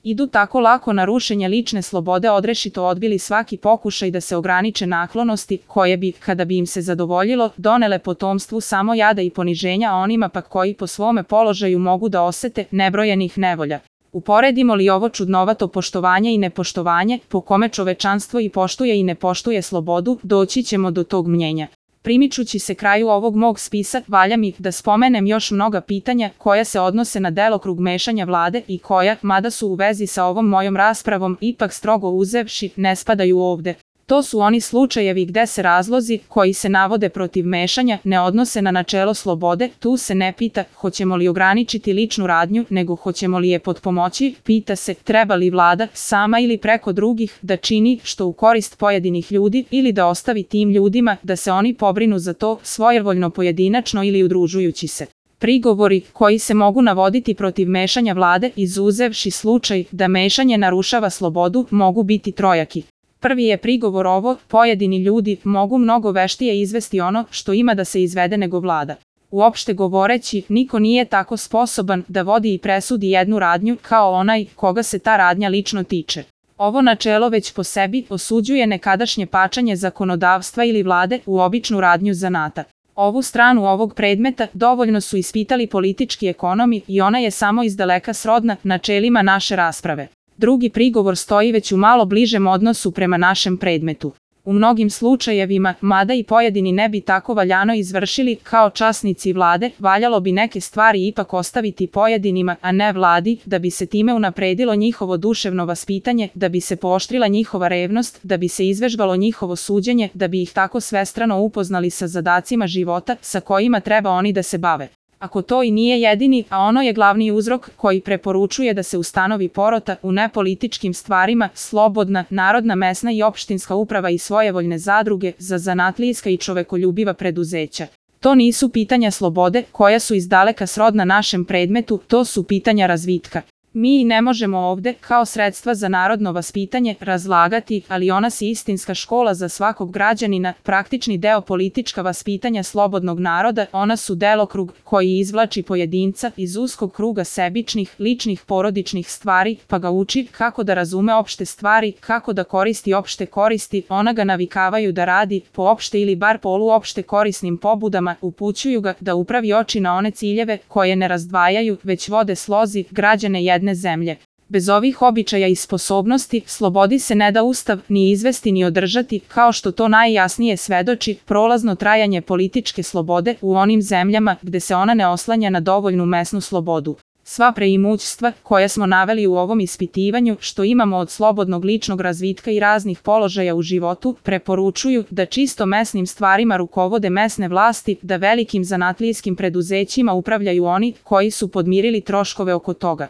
Idu tako lako na rušenje lične slobode, odrešito odbili svaki pokušaj da se ograniče naklonosti koje bi, kada bi im se zadovoljilo, donele potomstvu samo jada i poniženja, a onima pak koji po svome položaju mogu da osete nebrojenih nevolja. Uporedimo li ovo čudnovato poštovanje i nepoštovanje, po kome čovečanstvo i poštuje i ne poštuje slobodu, doći ćemo do tog mnjenja. Primičući se kraju ovog mog spisa, valja mi da spomenem još mnoga pitanja koja se odnose na delokrug mešanja vlade i koja, mada su u vezi sa ovom mojom raspravom, ipak strogo uzevši, ne spadaju ovde. To su oni slučajevi gde se razlozi koji se navode protiv mešanja ne odnose na načelo slobode, tu se ne pita hoćemo li ograničiti ličnu radnju, nego hoćemo li je potpomoći, pita se treba li vlada, sama ili preko drugih, da čini što u korist pojedinih ljudi ili da ostavi tim ljudima da se oni pobrinu za to svojevoljno pojedinačno ili udružujući se. Prigovori koji se mogu navoditi protiv mešanja vlade, izuzevši slučaj da mešanje narušava slobodu, mogu biti trojaki. Prvi je prigovor ovo, pojedini ljudi mogu mnogo veštije izvesti ono što ima da se izvede nego vlada. Uopšte govoreći, niko nije tako sposoban da vodi i presudi jednu radnju kao onaj koga se ta radnja lično tiče. Ovo načelo već po sebi osuđuje nekadašnje pačanje zakonodavstva ili vlade u običnu radnju zanata. Ovu stranu ovog predmeta dovoljno su ispitali politički ekonomi i ona je samo izdaleka srodna načelima naše rasprave. Drugi prigovor stoji već u malo bližem odnosu prema našem predmetu. U mnogim slučajevima, mada i pojedini ne bi tako valjano izvršili kao časnici vlade, valjalo bi neke stvari ipak ostaviti pojedinima, a ne vladi, da bi se time unapredilo njihovo duševno vaspitanje, da bi se pooštrila njihova revnost, da bi se izvežbalo njihovo suđenje, da bi ih tako svestrano upoznali sa zadacima života sa kojima treba oni da se bave. Ako to i nije jedini, a ono je glavni uzrok koji preporučuje da se ustanovi porota u nepolitičkim stvarima, slobodna, narodna, mesna i opštinska uprava i svojevoljne zadruge za zanatlijska i čovekoljubiva preduzeća. To nisu pitanja slobode koja su izdaleka srodna našem predmetu, to su pitanja razvitka. Mi i ne možemo ovde, kao sredstva za narodno vaspitanje, razlagati, ali ona si istinska škola za svakog građanina, praktični deo politička vaspitanja slobodnog naroda, ona su delokrug koji izvlači pojedinca iz uskog kruga sebičnih, ličnih, porodičnih stvari, pa ga uči kako da razume opšte stvari, kako da koristi opšte koristi, ona ga navikavaju da radi po opšte ili bar poluopšte korisnim pobudama, upućuju ga da upravi oči na one ciljeve koje ne razdvajaju, već vode slozi građane jedne zemlje. Bez ovih običaja i sposobnosti, slobodi se ne da ustav ni izvesti ni održati, kao što to najjasnije svedoči prolazno trajanje političke slobode u onim zemljama gde se ona ne oslanja na dovoljnu mesnu slobodu. Sva preimućstva koja smo naveli u ovom ispitivanju, što imamo od slobodnog ličnog razvitka i raznih položaja u životu, preporučuju da čisto mesnim stvarima rukovode mesne vlasti, da velikim zanatlijskim preduzećima upravljaju oni koji su podmirili troškove oko toga.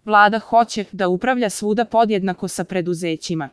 Vlada hoće da upravlja svuda podjednako sa preduzećima.